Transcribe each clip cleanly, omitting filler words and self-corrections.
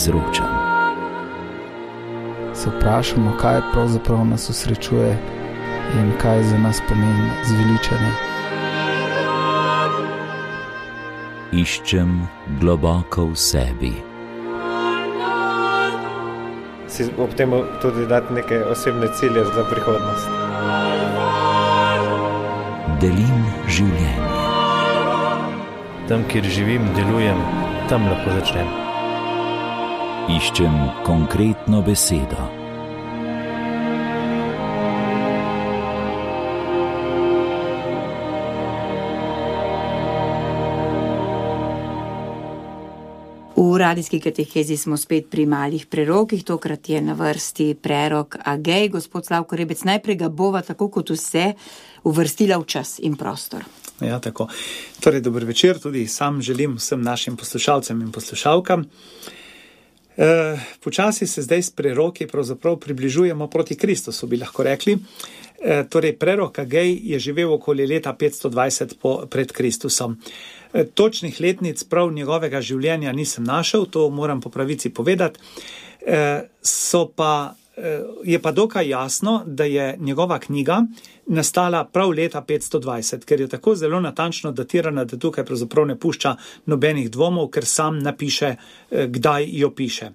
izročam. Se vprašamo, kaj pravzaprav nas osrečuje in kaj za nas pomeni zveličanje. Iščem globoko v sebi. Si ob tem tudi dati neke osebne cilje za prihodnost. Delim življenje. Tam, kjer živim, delujem, tam lahko začnem. Iščem konkretno besedo. V radijski katehezi smo spet pri malih prerokih, tokrat je na vrsti prerok Agej. Gospod Slavko Rebec, najprej ga bova tako kot vse uvrstila v čas in prostor. Ja, tako. Torej, dober večer, tudi sam želim vsem našim poslušalcem in poslušalkam. Počasi se zdaj s preroki pravzaprav približujemo proti Kristusu, bi lahko rekli. Torej, prerok Agej je živel okoli leta 520 pred Kristusom. Točnih letnic prav njegovega življenja nisem našel, to moram po pravici povedati. Je pa dokaj jasno, da je njegova knjiga nastala prav leta 520, ker je tako zelo natančno datirana, da tukaj pravzaprav ne pušča nobenih dvomov, ker sam napiše, kdaj jo piše.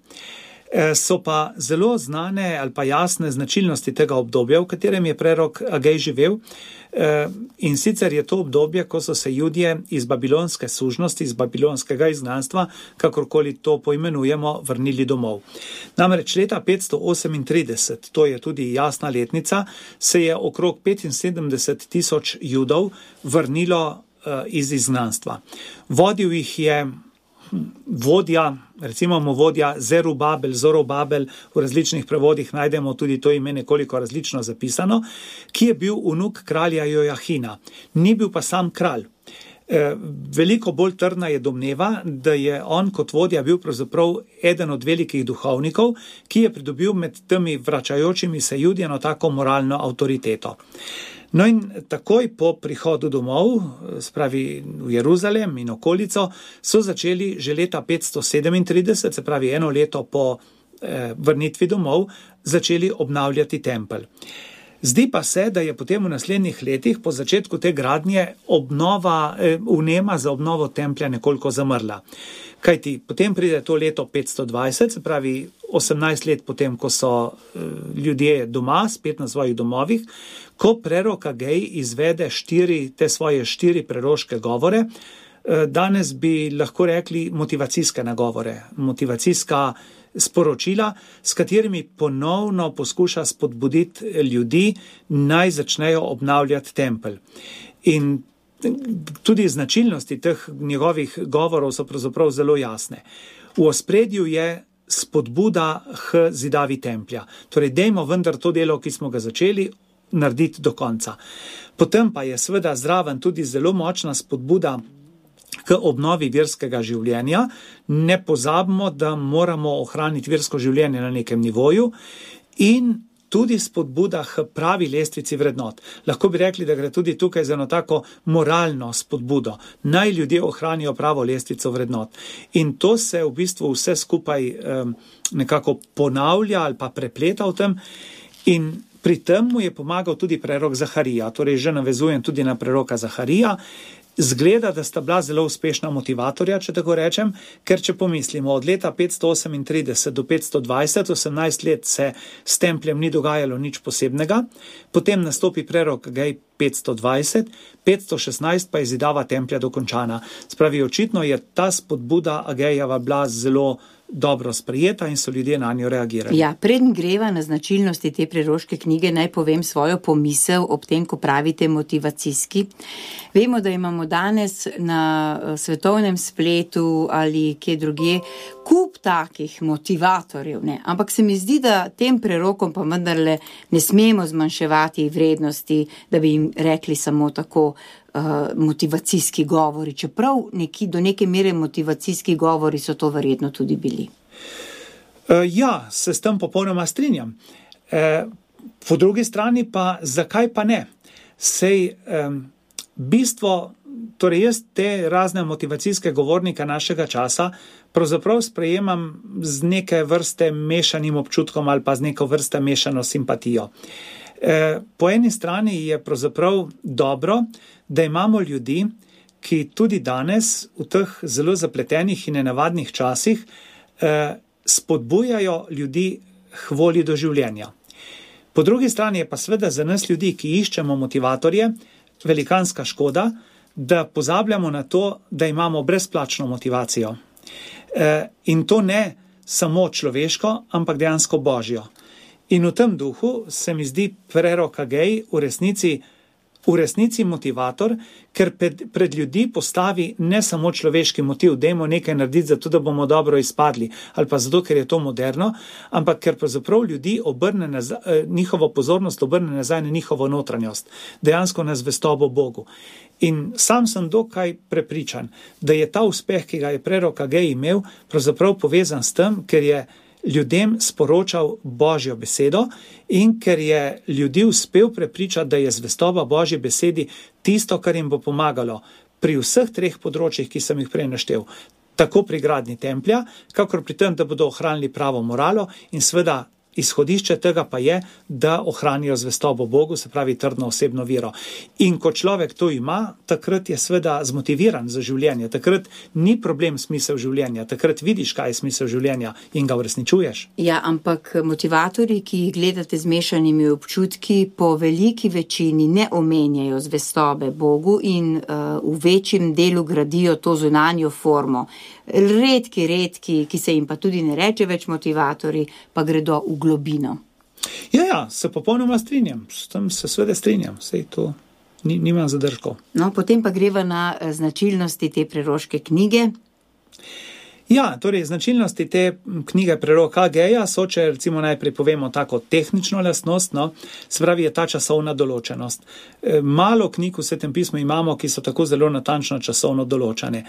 So pa zelo znane ali pa jasne značilnosti tega obdobja, v katerem je prerok Agej živel, in sicer je to obdobje, ko so se Judje iz babilonske sužnosti, iz babilonskega izgnanstva, kakorkoli to poimenujemo, vrnili domov. Namreč leta 538, to je tudi jasna letnica, se je okrog 75,000 Judov vrnilo iz izgnanstva. Vodil jih je vodja, recimo mu vodja Zorobabel, v različnih prevodih najdemo tudi to ime nekoliko različno zapisano, ki je bil vnuk kralja Jojahina. Ni bil pa sam kralj. Veliko bolj trdna je domneva, da je on kot vodja bil pravzaprav eden od velikih duhovnikov, ki je pridobil med temi vračajočimi se Judjeno tako moralno avtoriteto. No in takoj po prihodu domov, spravi v Jeruzalem in okolico, so začeli že leta 537, se pravi eno leto po vrnitvi domov, začeli obnavljati tempelj. Zdi pa se, da je potem v naslednjih letih po začetku te gradnje vnema za obnovo templja nekoliko zamrla. Kajti potem pride to leto 520, se pravi 18 let potem, ko so ljudje doma, spet na svojih domovih, ko prerok Agej izvede te svoje 4 preroške govore, danes bi lahko rekli motivacijske nagovore, motivacijska sporočila, s katerimi ponovno poskuša spodbuditi ljudi, naj začnejo obnavljati tempelj. In tudi značilnosti teh njegovih govorov so pravzaprav zelo jasne. V ospredju je spodbuda k zidavi templja. Torej, dejmo vendar to delo, ki smo ga začeli, narediti do konca. Potem pa je seveda zraven tudi zelo močna spodbuda k obnovi verskega življenja. Ne pozabimo, da moramo ohraniti versko življenje na nekem nivoju in tudi spodbuda k pravi lestvici vrednot. Lahko bi rekli, da gre tudi tukaj za eno tako moralno spodbudo. Naj ljudje ohranijo pravo lestvico vrednot. In to se v bistvu vse skupaj nekako ponavlja ali pa prepleta v tem. In pri tem mu je pomagal tudi prerok Zaharija. Torej že navezujem tudi na preroka Zaharija. Zgleda, da sta bila zelo uspešna motivatorja, če tako rečem, ker če pomislimo, od leta 538 do 520, 18 let se s templjem ni dogajalo nič posebnega, potem nastopi prerok Agej 520, 516 pa je zidava templja dokončana. Spravi, očitno je ta spodbuda Agejeva bila zelo dobro sprejeta in so ljudje na njo reagirali. Ja, preden greva na značilnosti te preroške knjige, naj povem svojo pomisel ob tem, ko pravite motivacijski. Vemo, da imamo danes na svetovnem spletu ali kje drugje kup takih motivatorjev, ne? Ampak se mi zdi, da tem prerokom pa vendarle ne smemo zmanjševati vrednosti, da bi jim rekli samo tako motivacijski govori, čeprav do neke mere motivacijski govori so to verjetno tudi bili. Ja, se s tem popolnoma strinjam. Po drugi strani pa, zakaj pa ne? Sej bistvo torej jaz te razne motivacijske govornike našega časa pravzaprav sprejemam z neke vrste mešanim občutkom ali pa z neko vrste mešano simpatijo. Po eni strani je pravzaprav dobro, da imamo ljudi, ki tudi danes v teh zelo zapletenih in nenavadnih časih spodbujajo ljudi k volji do življenja. Po drugi strani je pa seveda za nas ljudi, ki iščemo motivatorje, velikanska škoda, da pozabljamo na to, da imamo brezplačno motivacijo. In to ne samo človeško, ampak dejansko božjo. In v tem duhu se mi zdi prerok Agej v resnici motivator, ker pred ljudi postavi ne samo človeški motiv, dajmo nekaj narediti zato, da bomo dobro izpadli, ali pa zato, ker je to moderno, ampak ker pravzaprav ljudi njihovo pozornost obrne nazaj na njihovo notranjost, dejansko na zvestobo Bogu. In sam sem dokaj prepričan, da je ta uspeh, ki ga je prerok Agej imel, pravzaprav povezan s tem, ker je ljudem sporočal Božjo besedo in ker je ljudi uspel prepričati, da je zvestoba Božji besedi tisto, kar jim bo pomagalo pri vseh treh področjih, ki sem jih prej naštel. Tako pri gradnji templja, kakor pri tem, da bodo ohranili pravo moralo in seveda izhodišče tega pa je, da ohranijo zvestobo Bogu, se pravi trdno osebno vero. In ko človek to ima, takrat je seveda zmotiviran za življenje, takrat ni problem smisel življenja, takrat vidiš, kaj je smisel življenja in ga uresničuješ. Ja, ampak motivatorji, ki jih gledate z mešanimi občutki, po veliki večini ne omenjajo zvestobe Bogu in v večjem delu gradijo to zunanjo formo. Redki, ki se jim pa tudi ne reče več motivatorji, pa gredo v globino. Ja, se popolnoma strinjam, s tem se seveda strinjam, sej to nimam zadržkov. No, potem pa greva na značilnosti te preroške knjige. Ja, torej značilnosti te knjige preroka Ageja so, če recimo najprej povemo tako tehnično lastnost, se pravi je ta časovna določenost. Malo knjig v Svetem pismu imamo, ki so tako zelo natančno časovno določene.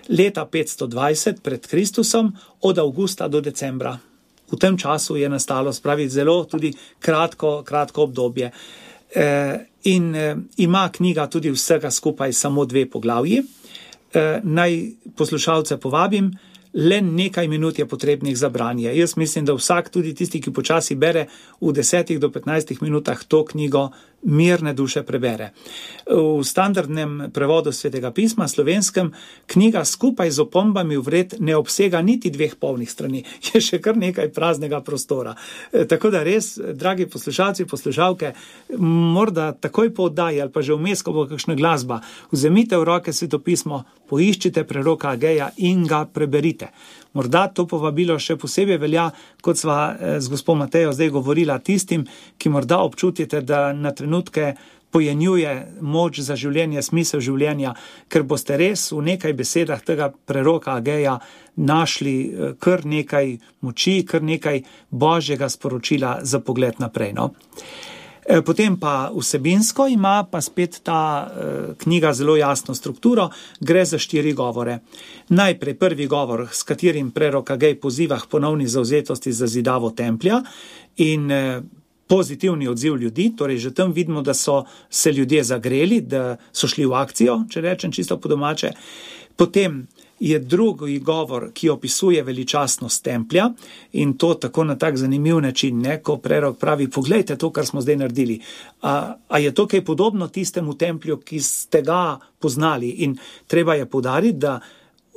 Leta 520 pred Kristusom od avgusta do decembra. V tem času je nastalo, se pravi zelo tudi kratko obdobje. In ima knjiga tudi vsega skupaj samo 2 poglavji. Naj poslušalce povabim, le nekaj minut je potrebnih za branje. Jaz mislim, da vsak, tudi tisti, ki počasi bere, v 10 do 15 minutah to knjigo mirne duše prebere. V standardnem prevodu Svetega pisma, slovenskem, knjiga skupaj z opombami vred ne obsega niti 2 polnih strani. Je še kar nekaj praznega prostora. Tako da res, dragi poslušalci, poslušalke, morda takoj po oddaji ali pa že vmes, ko bo kakšna glasba, vzemite v roke Svetopismo, poiščite preroka Ageja in ga preberite. Morda to povabilo še posebej velja, kot sva z gospo Matejo zdaj govorila, tistim, ki morda občutite, da na trenutke pojenjuje moč za življenje, smisel življenja, ker boste res v nekaj besedah tega preroka Ageja našli kar nekaj moči, kar nekaj božjega sporočila za pogled naprej. Potem pa vsebinsko ima pa spet ta knjiga zelo jasno strukturo, gre za 4 govore. Najprej prvi govor, s katerim prerok Agej poziva k ponovni zavzetosti za zidavo templja in pozitivni odziv ljudi, torej že tam vidimo, da so se ljudje zagreli, da so šli v akcijo, če rečem čisto po domače. Potem je drugi govor, ki opisuje veličastnost templja in to tako na tak zanimiv način, ko prerok pravi, poglejte to, kar smo zdaj naredili. A je to kaj podobno tistemu templju, ki ste ga poznali? In treba je poudariti, da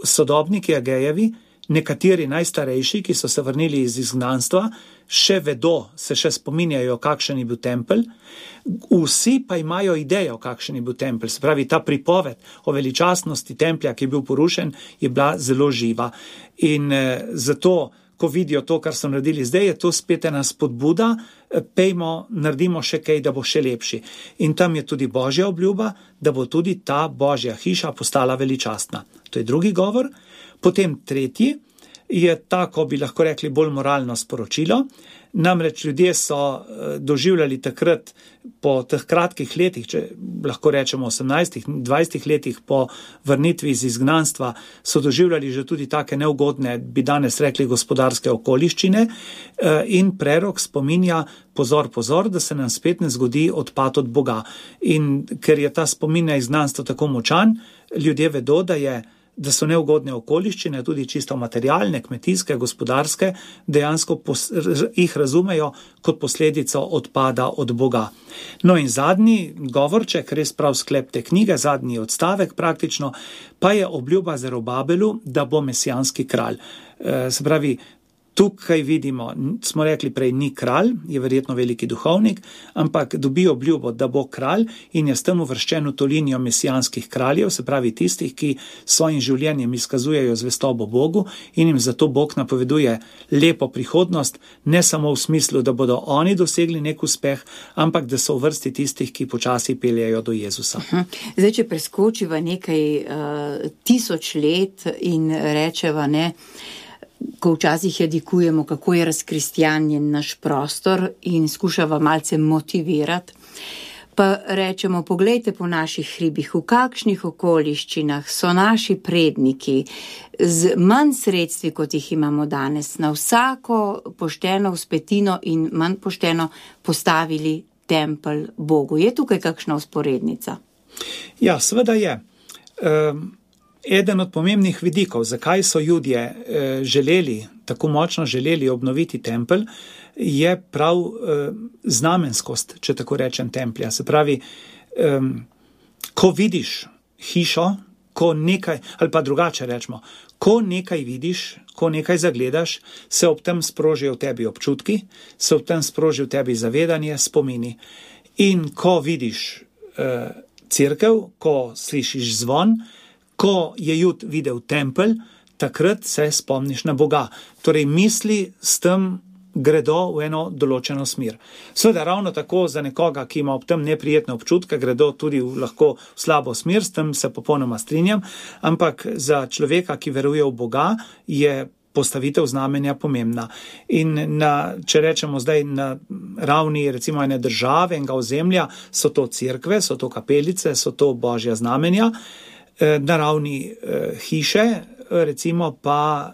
sodobniki Agejevi, nekateri najstarejši, ki so se vrnili iz izgnanstva, še vedo, se še spominjajo, kakšen je bil tempelj, vsi pa imajo idejo, kakšen je bil tempelj. Se pravi, ta pripoved o veličastnosti templja, ki je bil porušen, je bila zelo živa. In zato, ko vidijo to, kar so naredili zdaj, je to spet ena spodbuda, pejmo, naredimo še kaj, da bo še lepši. In tam je tudi božja obljuba, da bo tudi ta božja hiša postala veličastna. To je drugi govor. Potem tretji je tako, bi lahko rekli, bolj moralno sporočilo. Namreč ljudje so doživljali takrat po teh kratkih letih, če lahko rečemo 18-20 letih po vrnitvi iz izgnanstva, so doživljali že tudi take neugodne, bi danes rekli, gospodarske okoliščine in prerok spominja, pozor, da se nam spet ne zgodi odpad od Boga. In ker je ta spomin na izgnanstvo tako močan, ljudje vedo, da so neugodne okoliščine, tudi čisto materialne, kmetijske, gospodarske, dejansko jih razumejo kot posledico odpada od Boga. No in zadnji govorček, res prav sklep te knjige, zadnji odstavek praktično, pa je obljuba Zerubabelu, da bo mesijanski kralj. Se pravi, tukaj vidimo, smo rekli prej, ni kralj, je verjetno veliki duhovnik, ampak dobi obljubo, da bo kralj in je s tem uvrščen v to linijo mesijanskih kraljev, se pravi tistih, ki svojim življenjem izkazujejo zvestobo Bogu in jim zato Bog napoveduje lepo prihodnost, ne samo v smislu, da bodo oni dosegli nek uspeh, ampak da so v vrsti tistih, ki počasi peljejo do Jezusa. Zdaj, če preskočiva nekaj 1000 let in rečeva, ko včasih jadikujemo, kako je razkristjanjen naš prostor in skušava malce motivirati, pa rečemo, poglejte po naših hribih, v kakšnih okoliščinah so naši predniki z manj sredstvi, kot jih imamo danes, na vsako pošteno vzpetino in manj pošteno postavili tempelj Bogu. Je tukaj kakšna vzporednica? Ja, seveda je. Eden od pomembnih vidikov, zakaj so Judje tako močno želeli obnoviti tempelj, je prav znamenskost, če tako rečem, templja. Se pravi, ko vidiš hišo, ali pa drugače rečemo, ko nekaj vidiš, ko nekaj zagledaš, se ob tem sprožijo v tebi občutki, se ob tem sproži v tebi zavedanje, spomini. In ko vidiš cerkev, ko slišiš zvon, ko je Jud videl tempelj, takrat se spomniš na Boga. Torej misli s tem gredo v eno določeno smer. Seveda ravno tako za nekoga, ki ima ob tem neprijetne občutke, gredo tudi lahko v slabo smer, s tem se popolnoma strinjam, ampak za človeka, ki veruje v Boga, je postavitev znamenja pomembna. In če rečemo zdaj na ravni recimo ene države, enega ozemlja, so to cerkve, so to kapelice, so to božja znamenja. Na ravni hiše, recimo pa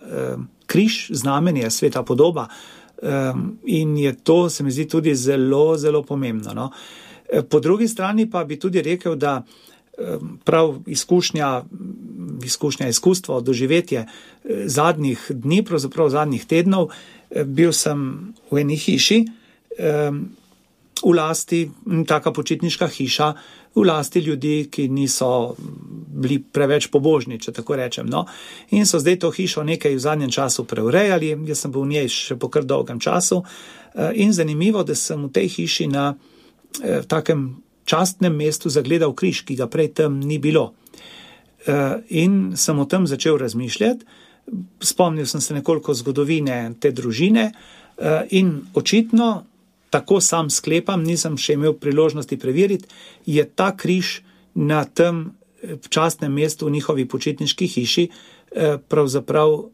križ, znamenje, sveta podoba. In je to, se mi zdi, tudi zelo, zelo pomembno. No? Po drugi strani pa bi tudi rekel, da prav izkustvo, doživetje zadnjih dni, pravzaprav zadnjih tednov, bil sem v eni hiši, v lasti, taka počitniška hiša, v lasti ljudi, ki niso bili preveč pobožni, če tako rečem. No? In so zdaj to hišo nekaj v zadnjem času preurejali, jaz sem bil v njej še po kar dolgem času in zanimivo, da sem v tej hiši na takem častnem mestu zagledal križ, ki ga prej tam ni bilo. In sem o tem začel razmišljati, spomnil sem se nekoliko zgodovine te družine in očitno, tako sam sklepam, nisem še imel priložnosti preveriti, je ta križ na tem častnem mestu v njihovi počitniški hiši pravzaprav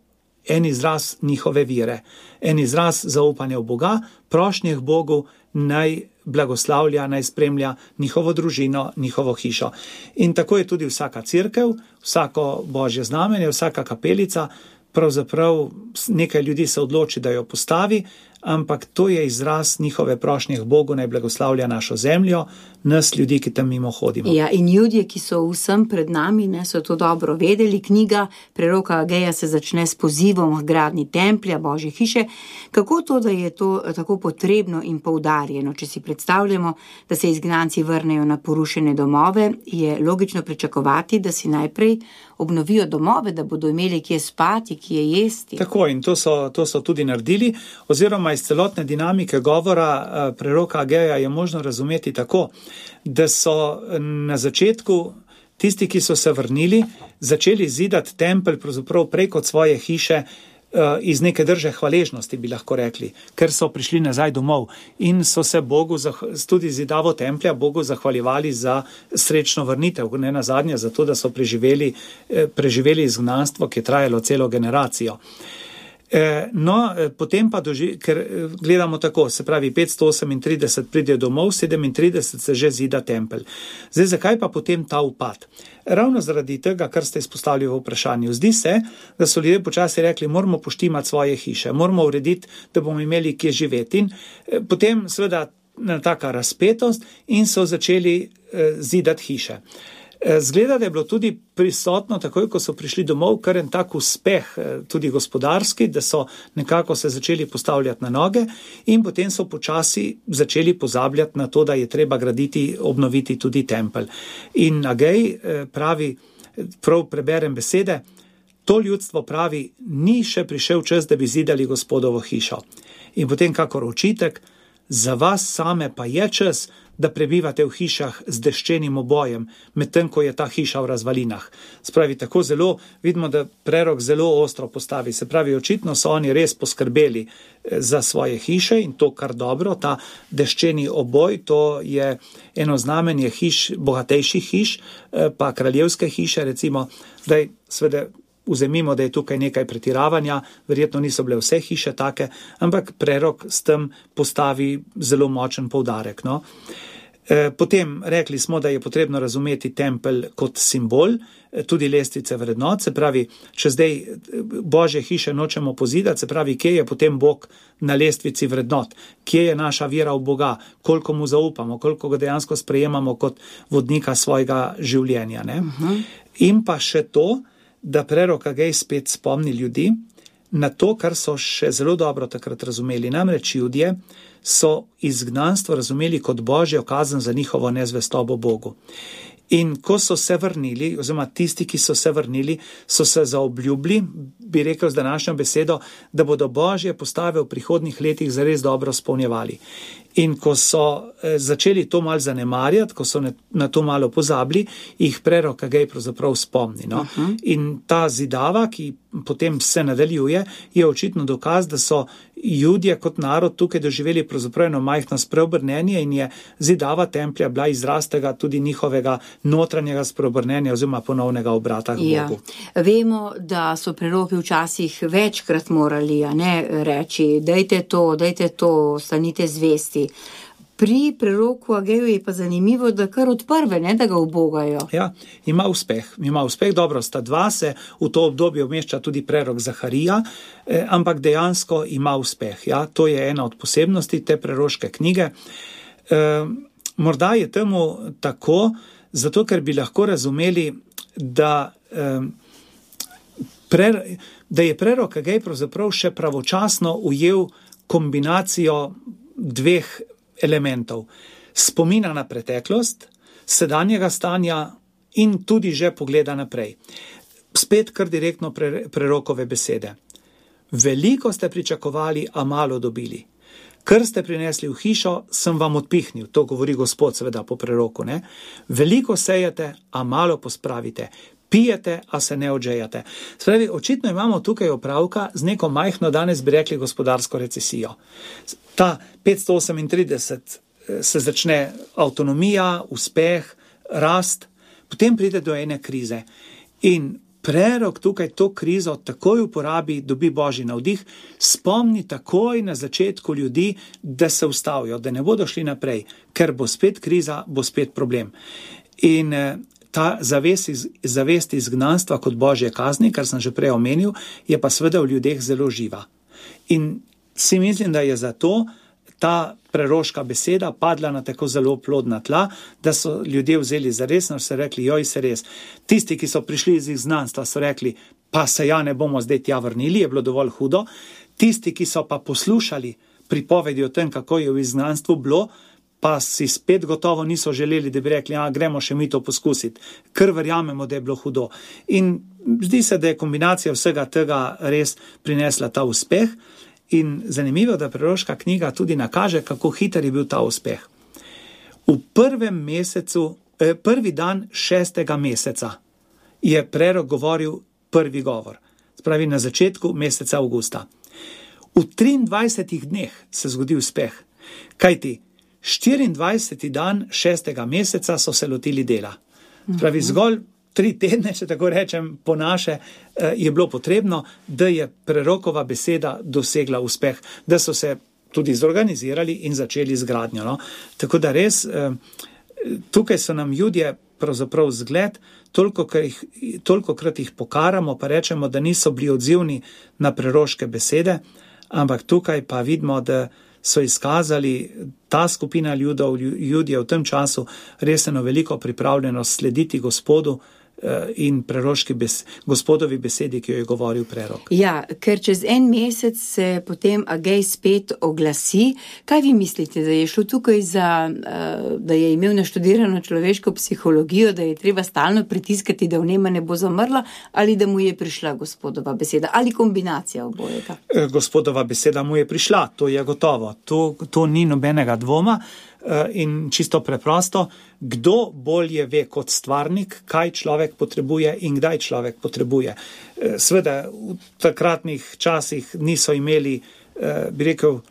en izraz njihove vere, en izraz zaupanja v Boga, prošnje k Bogu, naj blagoslavlja, naj spremlja njihovo družino, njihovo hišo. In tako je tudi vsaka cerkev, vsako božje znamenje, vsaka kapelica, pravzaprav nekaj ljudi se odloči, da jo postavi, ampak to je izraz njihove prošnje k Bogu, naj blagoslavlja našo zemljo, nas ljudi, ki tam mimo hodimo. Ja, in ljudje, ki so vsem pred nami, so to dobro vedeli. Knjiga preroka Ageja se začne s pozivom k gradnji templja, božje hiše. Kako to, da je to tako potrebno in poudarjeno? Če si predstavljamo, da se izgnanci vrnejo na porušene domove, je logično pričakovati, da si najprej obnovijo domove, da bodo imeli kje spati, kje jesti. Tako, in to so tudi naredili, oziroma iz celotne dinamike govora preroka Ageja je možno razumeti tako, da so na začetku tisti, ki so se vrnili, začeli zidati tempelj pravzaprav preko svoje hiše iz neke drže hvaležnosti, bi lahko rekli, ker so prišli nazaj domov in so se Bogu, tudi zidavo templja, Bogu zahvaljevali za srečno vrnitev, ne nazadnje zato, da so preživeli izgnanstvo, ki je trajalo celo generacijo. Potem pa ker gledamo tako, se pravi 538 pridejo domov, 37 se že zida tempelj. Zdaj, zakaj pa potem ta upad? Ravno zaradi tega, kar ste izpostavili v vprašanju. Zdi se, da so ljudje počasi rekli, moramo poštimati svoje hiše, moramo urediti, da bomo imeli kje živeti. In potem seveda taka razpetost in so začeli zidati hiše. Zgleda, da je bilo tudi prisotno, takoj ko so prišli domov, kar en tak uspeh, tudi gospodarski, da so nekako se začeli postavljati na noge in potem so počasi začeli pozabljati na to, da je treba graditi, obnoviti tudi tempelj. In Agej pravi, prav preberem besede, to ljudstvo pravi, ni še prišel čas, da bi zidali Gospodovo hišo. In potem kakor očitek, za vas same pa je čas, da prebivate v hišah z deščenim obojem, medtem ko je ta hiša v razvalinah. Spravi, tako zelo vidimo, da prerok zelo ostro postavi. Se pravi, očitno so oni res poskrbeli za svoje hiše in to kar dobro. Ta deščeni oboj, to je eno znamenje hiš, bogatejših hiš, pa kraljevske hiše, recimo, zdaj sveda vzemimo, da je tukaj nekaj pretiravanja, verjetno niso bile vse hiše take, ampak prerok s tem postavi zelo močen poudarek. No? Potem rekli smo, da je potrebno razumeti tempelj kot simbol, tudi lestvice vrednot, se pravi, če zdaj Božje hiše nočemo pozidati, se pravi, kje je potem Bog na lestvici vrednot, kje je naša vera v Boga, koliko mu zaupamo, koliko ga dejansko sprejemamo kot vodnika svojega življenja. Ne? In pa še to, da prerok Agej spet spomni ljudi na to, kar so še zelo dobro takrat razumeli. Namreč Judje so izgnanstvo razumeli kot Božjo kazen za njihovo nezvestobo Bogu. In ko so se vrnili, oziroma tisti, ki so se vrnili, so se zaobljubili, bi rekel z današnjo besedo, da bodo Božje postave v prihodnjih letih zares dobro spolnjevali. In ko so začeli to malo zanemarjati, ko so na to malo pozabili, jih prerok Agej pravzaprav spomni. No? In ta zidava, ki potem se nadaljuje, je očitno dokaz, da so Judje kot narod tukaj doživeli pravzaprav eno majhno spreobrnenje in je zidava templja bila izraz tega tudi njihovega notranjega spreobrnenja oziroma ponovnega obrata k Bogu. Vemo, da so preroki včasih večkrat morali reči, dajte to, stanite zvesti. Pri preroku Ageju je pa zanimivo, da kar od prve, da ga ubogajo. Ja, ima uspeh, dobro, sta dva, se v to obdobje umešča tudi prerok Zaharija, ampak dejansko ima uspeh. Ja, to je ena od posebnosti te preroške knjige. Morda je temu tako, zato ker bi lahko razumeli, da je prerok Agej pravzaprav še pravočasno ujel kombinacijo dveh elementov. Spomina na preteklost, sedanjega stanja in tudi že pogleda naprej. Spet kar direktno prerokove besede. Veliko ste pričakovali, a malo dobili. Kar ste prinesli v hišo, sem vam odpihnil. To govori Gospod seveda po preroku. Ne? Veliko sejete, a malo pospravite. Pijete, a se ne odžejate. Spravi, očitno imamo tukaj opravka z neko majhno, danes bi rekli, gospodarsko recesijo. Ta 538 se začne avtonomija, uspeh, rast, potem pride do ene krize. In prerok tukaj to krizo takoj uporabi, dobi Božji navdih, spomni takoj na začetku ljudi, da se ustavijo, da ne bodo šli naprej, ker bo spet kriza, bo spet problem. In ta zavest izgnanstva kot Božje kazni, kar sem že prej omenil, je pa seveda v ljudeh zelo živa. In si mislim, da je zato ta preroška beseda padla na tako zelo plodna tla, da so ljudje vzeli zaresno, so rekli, joj se res. Tisti, ki so prišli iz izgnanstva, so rekli, pa se ja ne bomo zdaj tja vrnili, je bilo dovolj hudo. Tisti, ki so pa poslušali pripovedi o tem, kako je v izgnanstvu bilo, pa si spet gotovo niso želeli, da bi rekli, gremo še mi to poskusiti, ker verjamemo, da je bilo hudo. In zdi se, da je kombinacija vsega tega res prinesla ta uspeh in zanimivo, da preroška knjiga tudi nakaže, kako hiter je bil ta uspeh. V prvi dan 6. meseca je prerok govoril prvi govor, spravi na začetku meseca avgusta. V 23 dneh se zgodi uspeh, kajti 24. dan 6. meseca so se lotili dela. Pravi, zgolj 3 tedne, če tako rečem, po naše, je bilo potrebno, da je prerokova beseda dosegla uspeh, da so se tudi zorganizirali in začeli z gradnjo. No? Tako da res, tukaj so nam Judje pravzaprav zgled, tolikokrat jih pokaramo, pa rečemo, da niso bili odzivni na preroške besede, ampak tukaj pa vidimo, da so izkazali ta skupina Judje v tem času res eno veliko pripravljenost slediti Gospodu in Gospodovi besedi, ki jo je govoril prerok. Ja, ker čez en mesec se potem Agej spet oglasi. Kaj vi mislite, da je šlo tukaj za, da je imel naštudirano človeško psihologijo, da je treba stalno pritiskati, da vnema ne bo zamrla, ali da mu je prišla Gospodova beseda, ali kombinacija obojega? Gospodova beseda mu je prišla, to je gotovo. To ni nobenega dvoma. In čisto preprosto, kdo bolje ve kot stvarnik, kaj človek potrebuje in kdaj človek potrebuje. Sveda v takratnih časih niso imeli, bi rekel,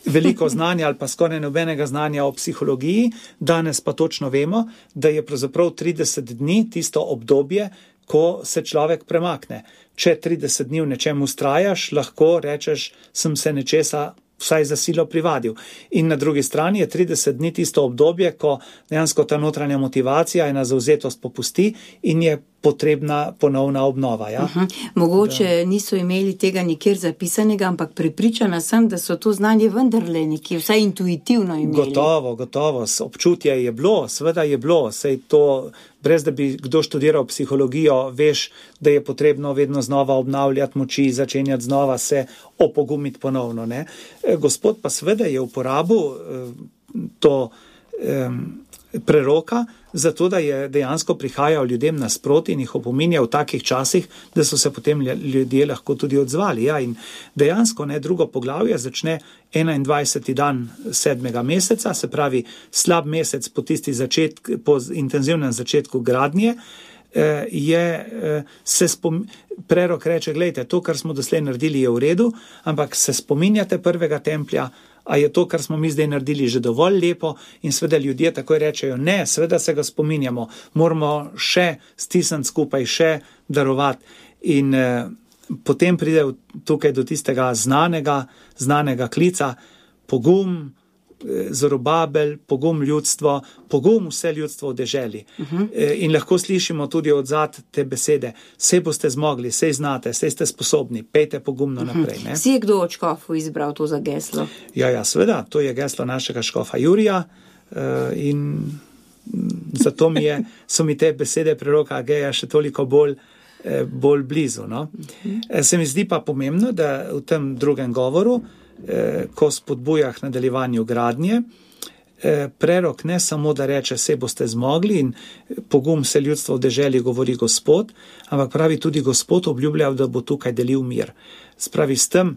veliko znanja ali pa skoraj nobenega znanja o psihologiji, danes pa točno vemo, da je pravzaprav 30 dni tisto obdobje, ko se človek premakne. Če 30 dni v nečem ustrajaš, lahko rečeš, sem se nečesa vsaj za silo privadil. In na drugi strani je 30 dni tisto obdobje, ko dejansko ta notranja motivacija, ena zavzetost popusti in je potrebna ponovna obnova. Ja? Mogoče niso imeli tega nikjer zapisanega, ampak prepričana sem, da so to znanje vendarle nekje, vsaj intuitivno imeli. Gotovo. Občutje je bilo, seveda je bilo. Sej to, brez da bi kdo študiral psihologijo, veš, da je potrebno vedno znova obnavljati moči, začenjati znova se opogumiti ponovno. Ne? Gospod pa seveda je uporabil to preroka, zato da je dejansko prihajal ljudem nasproti in jih opominjal v takih časih, da so se potem ljudje lahko tudi odzvali. Ja, in dejansko drugo poglavje začne 21. dan 7. meseca, se pravi slab mesec po intenzivnem začetku gradnje, prerok reče, gledajte, to, kar smo doslej naredili, je v redu, ampak se spominjate prvega templja, a je to, kar smo mi zdaj naredili, že dovolj lepo, in seveda ljudje takoj rečejo, ne, seveda se ga spominjamo, moramo še stisniti skupaj, še darovati. In potem pride tukaj do tistega znanega klica, pogum, Zorobabel, pogum ljudstvo, pogum vse ljudstvo v deželi. In lahko slišimo tudi odzad te besede, sej boste zmogli, sej znate, sej ste sposobni, pejte pogumno naprej. Ne? Si je kdo od škofov izbral to za geslo? Ja, seveda, to je geslo našega škofa Jurija in zato so mi te besede preroka Ageja še toliko bolj blizu. No? Se mi zdi pa pomembno, da v tem drugem govoru, ko spodbuja k nadaljevanju gradnje, prerok ne samo, da reče, se boste zmogli in pogum se ljudstvo v deželi govori Gospod, ampak pravi tudi Gospod obljubljal, da bo tukaj delil mir. Spravi s tem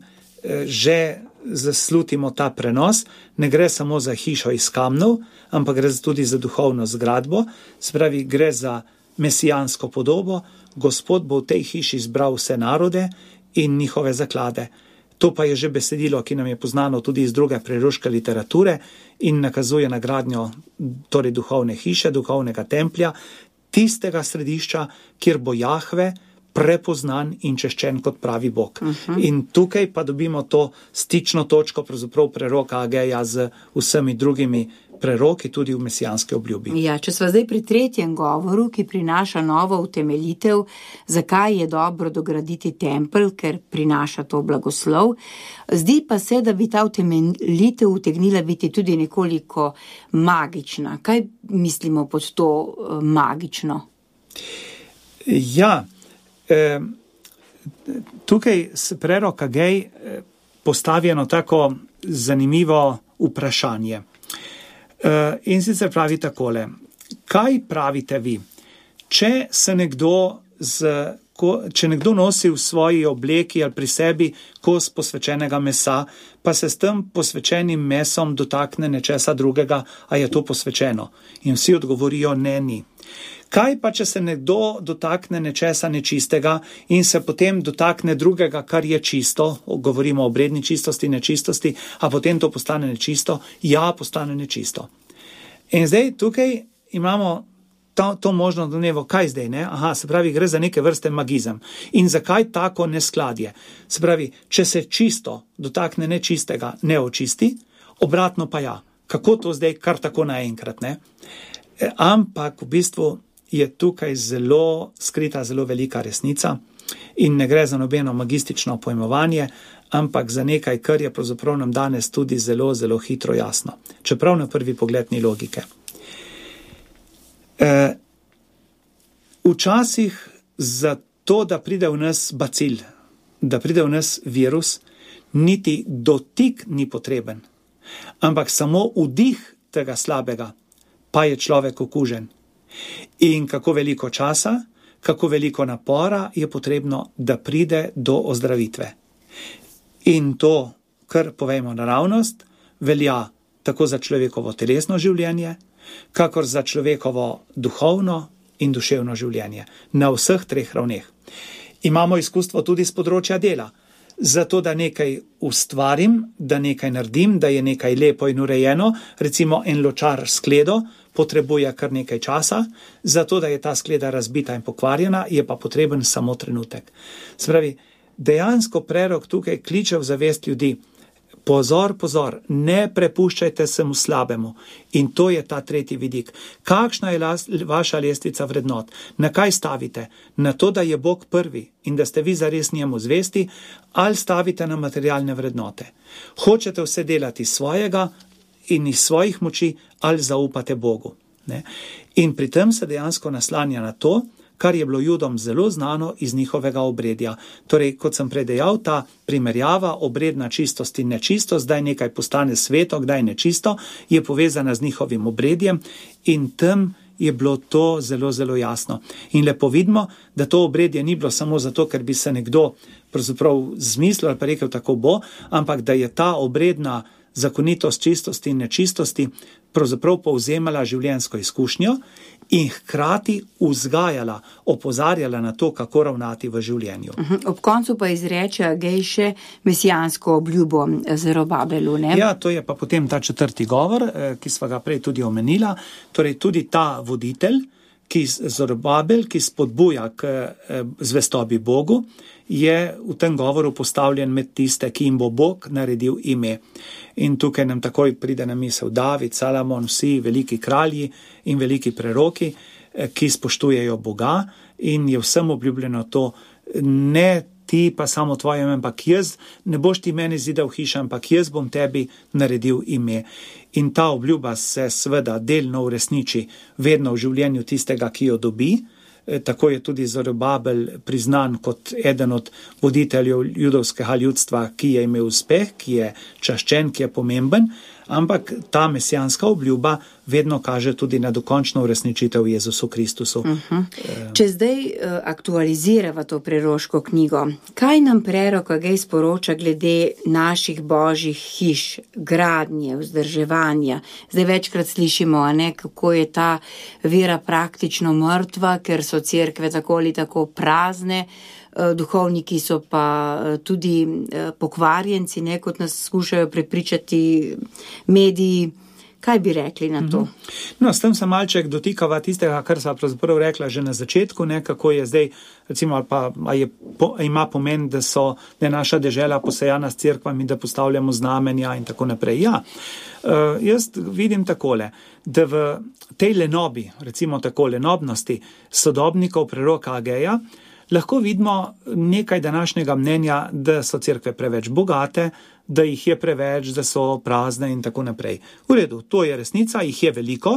že zaslutimo ta prenos, ne gre samo za hišo iz kamnov, ampak gre tudi za duhovno zgradbo, spravi gre za mesijansko podobo, Gospod bo v tej hiši zbral vse narode in njihove zaklade. To pa je že besedilo, ki nam je poznano tudi iz druge preroške literature in nakazuje na gradnjo torej duhovne hiše, duhovnega templja, tistega središča, kjer bo Jahve prepoznan in češčen kot pravi Bog. In tukaj pa dobimo to stično točko pravzaprav preroka Ageja z vsemi drugimi preroki tudi v mesijanske obljubi. Ja, če sva zdaj pri tretjem govoru, ki prinaša novo utemeljitev, zakaj je dobro dograditi tempelj, ker prinaša to blagoslov, zdi pa se, da bi ta utemeljitev utegnila biti tudi nekoliko magična. Kaj mislimo pod to magično? Ja, tukaj se prerok Agej postavi eno tako zanimivo vprašanje. In sicer pravi takole, kaj pravite vi, če nekdo nosi v svoji obleki ali pri sebi kos posvečenega mesa, pa se s tem posvečenim mesom dotakne nečesa drugega, a je to posvečeno? In vsi odgovorijo, ne, ni. Kaj pa, če se nekdo dotakne nečesa nečistega in se potem dotakne drugega, kar je čisto, govorimo o obredni čistosti, nečistosti, a potem to postane nečisto? Ja, postane nečisto. In zdaj tukaj imamo to možno domnevo, kaj zdaj, ne? Aha, se pravi, gre za neke vrste magizem. In zakaj tako neskladje? Se pravi, če se čisto dotakne nečistega, ne očisti, obratno pa ja. Kako to zdaj kar tako naenkrat, ne? Ampak v bistvu je tukaj zelo skrita, zelo velika resnica in ne gre za nobeno magistično pojmovanje, ampak za nekaj, kar je pravzaprav nam danes tudi zelo, zelo hitro jasno. Čeprav na prvi pogled ni logike. Včasih za to, da pride v nas bacil, da pride v nas virus, niti dotik ni potreben, ampak samo vdih tega slabega, pa je človek okužen. In kako veliko časa, kako veliko napora je potrebno, da pride do ozdravitve. In to, kar povejmo naravnost, velja tako za človekovo telesno življenje, kakor za človekovo duhovno in duševno življenje. Na vseh treh ravneh. Imamo izkustvo tudi z področja dela. Zato, da nekaj ustvarim, da nekaj naredim, da je nekaj lepo in urejeno, recimo en ločar skledo, potrebuje kar nekaj časa, zato, da je ta skleda razbita in pokvarjena, je pa potreben samo trenutek. Se pravi, dejansko prerok tukaj kliče v zavest ljudi. Pozor, pozor, ne prepuščajte se mu slabemu. In to je ta tretji vidik. Kakšna je vaša lestvica vrednot? Na kaj stavite? Na to, da je Bog prvi in da ste vi zares njemu zvesti, ali stavite na materialne vrednote? Hočete vse delati svojega in iz svojih moči, ali zaupate Bogu? Ne? In pri tem se dejansko naslanja na to, kar je bilo Judom zelo znano iz njihovega obredja. Torej, kot sem predejal, ta primerjava, obredna čistost in nečistost, kdaj nekaj postane sveto, kdaj nečisto, je povezana z njihovim obredjem in tam je bilo to zelo, zelo jasno. In lepo vidimo, da to obredje ni bilo samo zato, ker bi se nekdo pravzaprav zmislil ali pa rekel tako bo, ampak da je ta obredna zakonitost čistosti in nečistosti pravzaprav povzemala življenjsko izkušnjo in hkrati vzgajala, opozarjala na to, kako ravnati v življenju. Ob koncu pa izreče Agej še mesijansko obljubo Zerubabelu, ne? Ja, to je pa potem ta četrti govor, ki sva ga prej tudi omenila. Torej tudi ta voditelj, Zerubabel, ki spodbuja k zvestobi Bogu, je v tem govoru postavljen med tiste, ki jim bo Bog naredil ime. In tukaj nam takoj pride na misel David, Salomon, vsi veliki kralji in veliki preroki, ki spoštujejo Boga in je vsem obljubljeno to, ne ti pa samo tvoje ime, ampak jaz, ne boš ti meni zidal hiša, ampak jaz bom tebi naredil ime. In ta obljuba se seveda delno uresniči vedno v življenju tistega, ki jo dobi. Tako je tudi Zerubabel priznan kot eden od voditeljev judovskega ljudstva, ki je imel uspeh, ki je čaščen, ki je pomemben, ampak ta mesijanska obljuba vedno kaže tudi na dokončno uresničitev Jezusu Kristusu. Če zdaj aktualizirava to preroško knjigo, kaj nam prerok Agej sporoča glede naših božjih hiš, gradnje, vzdrževanja? Zdaj večkrat slišimo, kako je ta vera praktično mrtva, ker so cerkve tako ali tako prazne, duhovniki so pa tudi pokvarjenci, kot nas skušajo prepričati mediji. Kaj bi rekli na to? No, s tem se malček dotikava tistega, kar sva pravzaprav rekla že na začetku, kako je zdaj, recimo, ima pomen, da je naša dežela posejana s cerkvami, da postavljamo znamenja in tako naprej. Ja, jaz vidim takole, da v tej lenobi, recimo tako lenobnosti sodobnikov preroka Ageja, lahko vidimo nekaj današnjega mnenja, da so cerkve preveč bogate, da jih je preveč, da so prazne in tako naprej. V redu, to je resnica, jih je veliko,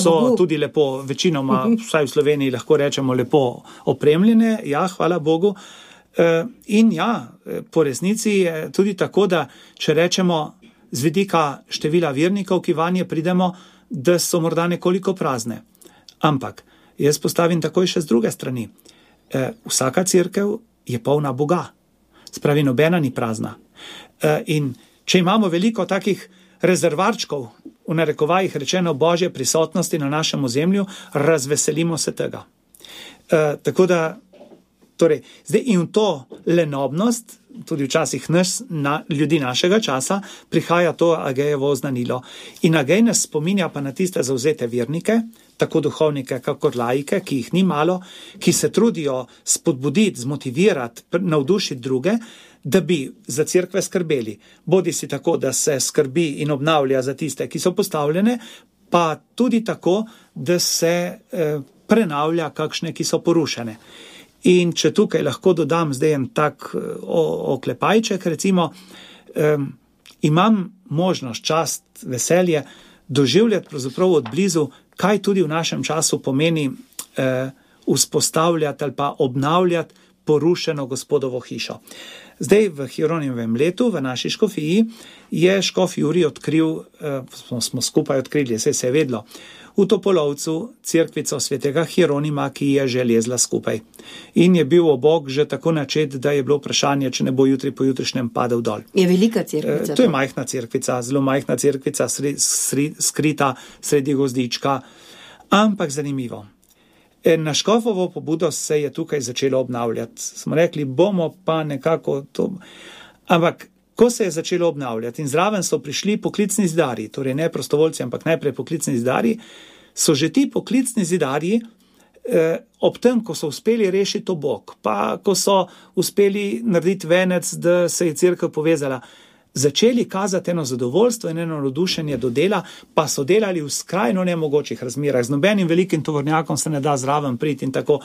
so tudi lepo, večinoma, vsaj v Sloveniji lahko rečemo, lepo opremljene, ja, hvala Bogu. In ja, po resnici je tudi tako, da če rečemo z vidika števila vernikov, ki vanje pridemo, da so morda nekoliko prazne. Ampak jaz postavim takoj še z druge strani. Vsaka cerkev je polna Boga, spravi nobena ni prazna. In če imamo veliko takih rezervarčkov, v narekovajih rečeno Božje prisotnosti na našem ozemlju, razveselimo se tega. Tako da, torej, zdaj in to lenobnost, tudi včasih ljudi našega časa, prihaja to Agejevo oznanilo. In Agej nas spominja pa na tiste zavzete vernike, tako duhovnike, kakor laike, ki jih ni malo, ki se trudijo spodbuditi, zmotivirati, navdušiti druge, da bi za cerkve skrbeli. Bodi si tako, da se skrbi in obnavlja za tiste, ki so postavljene, pa tudi tako, da se prenavlja kakšne, ki so porušene. In če tukaj lahko dodam zdaj en tak oklepajček, recimo, imam možnost, čast, veselje doživljati pravzaprav od blizu, kaj tudi v našem času pomeni vzpostavljati ali pa obnavljati porušeno Gospodovo hišo. Zdaj v Hieronimovem letu v naši škofiji je škof Jurij odkril, smo skupaj odkrili, se je vedlo, v Topolovcu cerkvico svetega Hieronima, ki je že lezla skupaj. In je bil obok že tako načet, da je bilo vprašanje, če ne bo jutri po jutrišnjem padel dol. Je velika cerkvica? To je majhna cerkvica, zelo majhna cerkvica, skrita sredi gozdička, ampak zanimivo. Na škofovo pobudo se je tukaj začelo obnavljati. Smo rekli, bomo pa nekako to... Ampak ko se je začelo obnavljati in zraven so prišli poklicni zidarji, torej ne prostovoljci, ampak najprej poklicni zidarji, so že ti poklicni zidarji ob tem, ko so uspeli rešiti obok, pa ko so uspeli narediti venec, da se je cerkev povezala, začeli kazati eno zadovoljstvo in eno navdušenje do dela, pa so delali v skrajno nemogočih razmerah. Z nobenim velikim tovornjakom se ne da zraven priti in tako,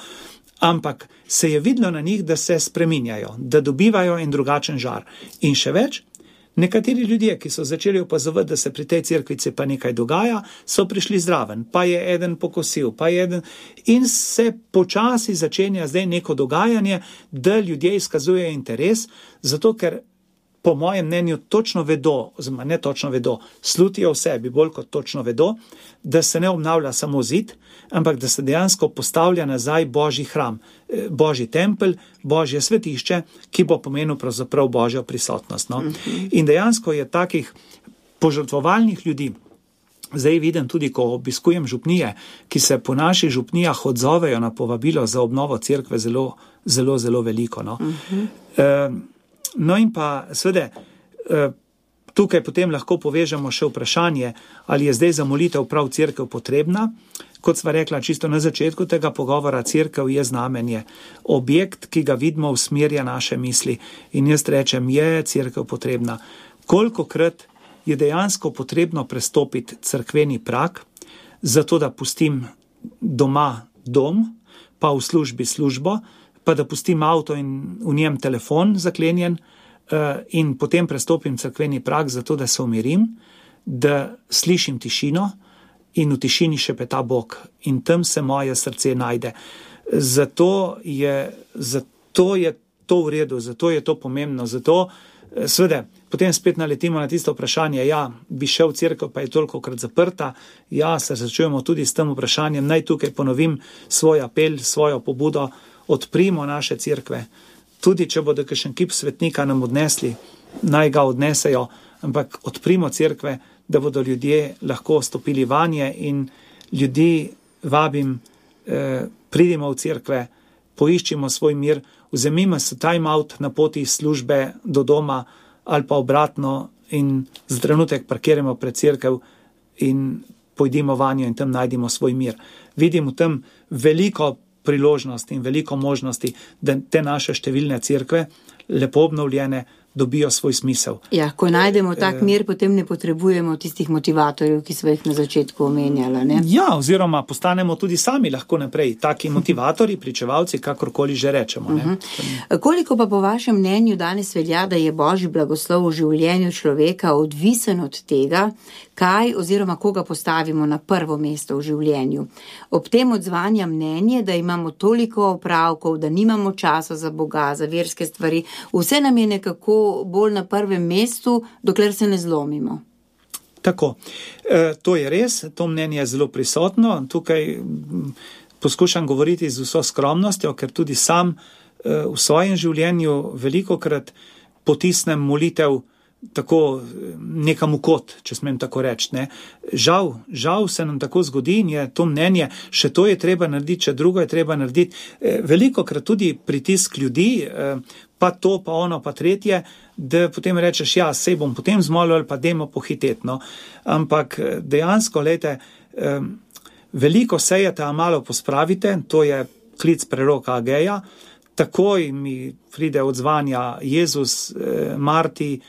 ampak se je videlo na njih, da se spreminjajo, da dobivajo en drugačen žar. In še več, nekateri ljudje, ki so začeli opazovati, da se pri tej cerkvici pa nekaj dogaja, so prišli zraven, pa je eden pokosil, pa je eden... In se počasi začenja zdaj neko dogajanje, da ljudje izkazujejo interes, zato ker po mojem mnenju točno vedo, oziroma ne točno vedo, slutijo v sebi bolj kot točno vedo, da se ne obnavlja samo zid, ampak da se dejansko postavlja nazaj Božji hram, Božji tempelj, Božje svetišče, ki bo pomenil pravzaprav Božjo prisotnost. No? In dejansko je takih požrtvovalnih ljudi, zdaj vidim tudi, ko obiskujem župnije, ki se po naših župnijah odzovejo na povabilo za obnovo cerkve zelo, zelo, zelo veliko. No? No in pa seveda, tukaj potem lahko povežemo še vprašanje, ali je zdaj za molitev prav cerkev potrebna. Kot sva rekla čisto na začetku tega pogovora, cerkev je znamenje, objekt, ki ga vidimo, usmerja naše misli. In jaz rečem, je cerkev potrebna. Kolikokrat je dejansko potrebno prestopiti cerkveni prag, zato da pustim doma dom, pa v službi službo, pa da pustim avto in v njem telefon zaklenjen in potem prestopim cerkveni prag, zato da se umirim, da slišim tišino in v tišini šepeta Bog in tam se moje srce najde. Zato je to v redu, zato je to pomembno, zato seveda potem spet naletimo na tisto vprašanje, ja, bi šel v cerkev, pa je tolikokrat zaprta, ja, se začujemo tudi s tem vprašanjem, naj tukaj ponovim svoj apel, svojo pobudo, odprimo naše cerkve, tudi če bodo kakšen kip svetnika nam odnesli, naj ga odnesejo, ampak odprimo cerkve, da bodo ljudje lahko stopili vanje in ljudi vabim, pridimo v cerkve, poiščimo svoj mir, vzemimo se time out na poti službe do doma ali pa obratno in za trenutek parkiramo pred cerkev in pojdimo vanjo in tam najdimo svoj mir. Vidimo tam veliko priložnosti in veliko možnosti, da te naše številne cerkve, lepo obnovljene, dobijo svoj smisel. Ja, ko najdemo tak mir, potem ne potrebujemo tistih motivatorjev, ki smo jih na začetku omenjala, ne? Ja, oziroma postanemo tudi sami lahko naprej, taki motivatorji, pričevalci, kakorkoli že rečemo. Ne? Koliko pa po vašem mnenju danes velja, da je Božji blagoslov v življenju človeka odvisen od tega, kaj oziroma koga postavimo na prvo mesto v življenju? Ob tem odzvanja mnenje, da imamo toliko opravkov, da nimamo časa za Boga, za verske stvari, vse nam je nekako bolj na prvem mestu, dokler se ne zlomimo. Tako, to je res, to mnenje je zelo prisotno. Tukaj poskušam govoriti z vso skromnostjo, ker tudi sam v svojem življenju velikokrat potisnem molitev tako nekam v kot, če smem tako reči. Ne. Žal se nam tako zgodi in je to mnenje, še to je treba narediti, še drugo je treba narediti. Velikokrat tudi pritisk ljudi, pa to, pa ono, pa tretje, da potem rečeš, ja, sej bom potem zmolil ali pa dajmo pohiteti. No. Ampak dejansko, lejte, veliko sejete, a malo pospravite, to je klic preroka Ageja, takoj mi pride odzvanja Jezus, Marti,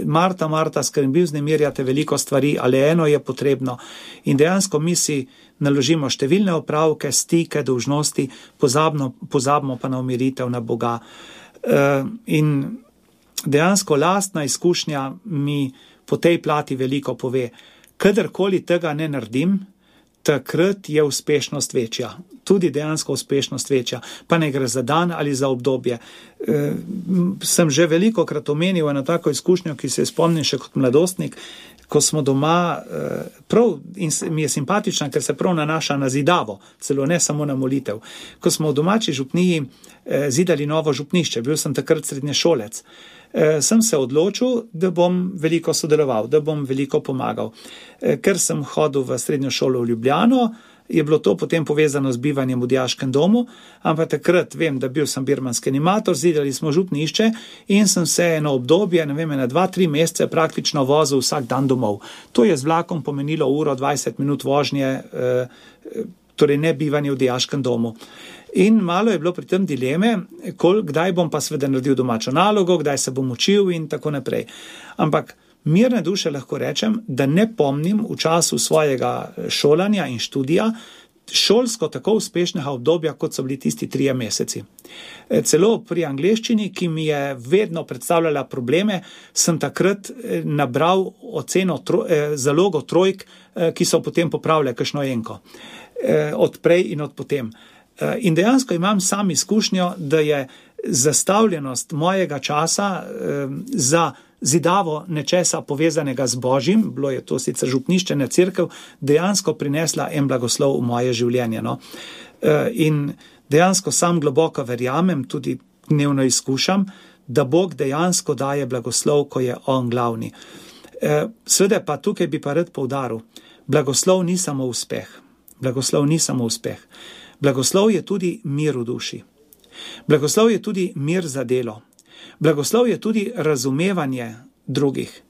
Marta, skrbim vznemirjate veliko stvari, ali eno je potrebno. In dejansko mi si naložimo številne opravke, stike, dolžnosti, pozabimo pa na umiritev, na Boga. In dejansko lastna izkušnja mi po tej plati veliko pove. Kadarkoli tega ne naredim, takrat je uspešnost večja. Tudi dejansko uspešnost večja. Pa ne gre za dan ali za obdobje. Sem že velikokrat omenil eno tako izkušnjo, ki se spomnim še kot mladostnik, ko smo doma, prav, in mi je simpatična, ker se prav nanaša na zidavo, celo ne samo na molitev. Ko smo v domači župniji zidali novo župnišče, bil sem takrat srednješolec, sem se odločil, da bom veliko sodeloval, da bom veliko pomagal. Ker sem hodil v srednjo šolo v Ljubljano, je bilo to potem povezano z bivanjem v dijaškem domu, ampak takrat vem, da bil sem birmanski animator, zidali smo župnišče in sem se eno obdobje, ne vem, na 2-3 mesece praktično vozil vsak dan domov. To je z vlakom pomenilo 1-20 minut vožnje, torej ne bivanje v dijaškem domu. In malo je bilo pri tem dileme, kdaj bom pa seveda naredil domačo nalogo, kdaj se bom učil in tako naprej. Ampak mirne duše lahko rečem, da ne pomnim v času svojega šolanja in študija šolsko tako uspešnega obdobja, kot so bili tisti 3 meseci. Celo pri angleščini, ki mi je vedno predstavljala probleme, sem takrat nabral zalogo trojk, ki so potem popravljali kakšno enko. Od prej in od potem. In dejansko imam sam izkušnjo, da je zastavljenost mojega časa za zidavo nečesa povezanega z Božjim, bilo je to sicer župnišče, ne cerkev, dejansko prinesla en blagoslov v moje življenje. No? In dejansko sam globoko verjamem, tudi dnevno izkušam, da Bog dejansko daje blagoslov, ko je on glavni. Seveda pa tukaj bi pa rad poudaril, blagoslov ni samo uspeh. Blagoslov ni samo uspeh. Blagoslov je tudi mir v duši. Blagoslov je tudi mir za delo. Blagoslov je tudi razumevanje drugih.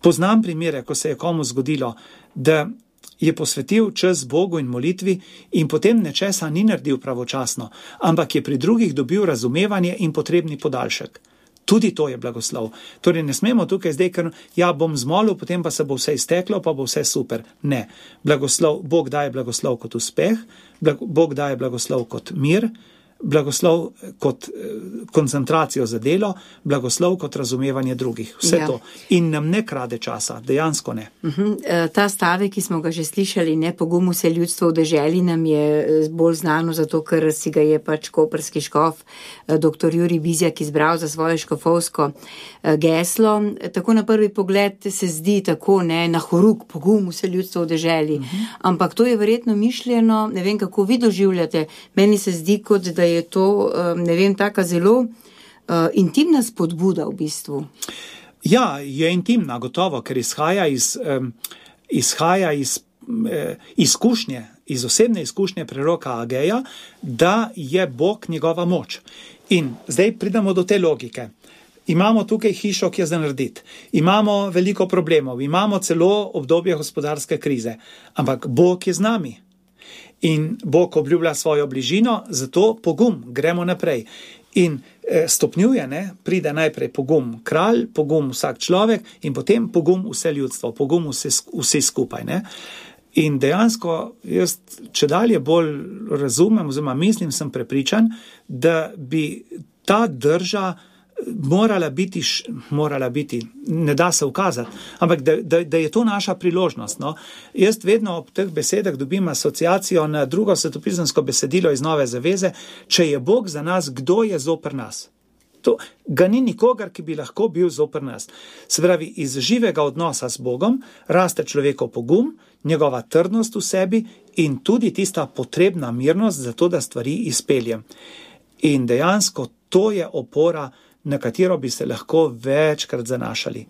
Poznam primere, ko se je komu zgodilo, da je posvetil čas Bogu in molitvi in potem nečesa ni naredil pravočasno, ampak je pri drugih dobil razumevanje in potrebni podaljšek. Tudi to je blagoslov. Torej ne smemo tukaj zdaj, ker bom zmolil, potem pa se bo vse izteklo, pa bo vse super. Ne. Bog daje blagoslov kot uspeh, Bog daje blagoslov kot mir, blagoslov kot koncentracijo za delo, blagoslov kot razumevanje drugih. Vse to. In nam ne krade časa, dejansko ne. Ta stavek, ki smo ga že slišali, ne pogum vse ljudstvo v deželi, nam je bolj znano zato, ker si ga je pač koprski škof dr. Jurij Bizjak izbral za svoje škofovsko geslo. Tako na prvi pogled se zdi tako, ne, na horuk, pogum vse ljudstvo v deželi. Ampak to je verjetno mišljeno, ne vem, kako vi doživljate. Meni se zdi, kot da je to, ne vem, taka zelo intimna spodbuda v bistvu. Ja, je intimna, gotovo, ker izhaja iz izkušnje, iz osebne izkušnje preroka Ageja, da je Bog njegova moč. In zdaj pridemo do te logike. Imamo tukaj hišo, ki je za narediti. Imamo veliko problemov, imamo celo obdobje gospodarske krize, ampak Bog je z nami. In Bog obljublja svojo bližino, zato pogum, gremo naprej. In stopnjuje, ne, pride najprej pogum kralj, pogum vsak človek in potem pogum vse ljudstvo, pogum vse skupaj. Ne. In dejansko jaz čedalje bolj razumem, oziroma mislim, sem prepričan, da bi ta drža morala biti, ne da se ukazati, ampak da je to naša priložnost. No? Jaz vedno ob teh besedah dobim asociacijo na drugo svetopisemsko besedilo iz Nove zaveze, če je Bog za nas, kdo je zoper nas? To ga ni nikogar, ki bi lahko bil zoper nas. Se pravi, iz živega odnosa s Bogom raste človekov pogum, njegova trdnost v sebi in tudi tista potrebna mirnost za to, da stvari izpeljem. In dejansko to je opora, na katero bi se lahko večkrat zanašali.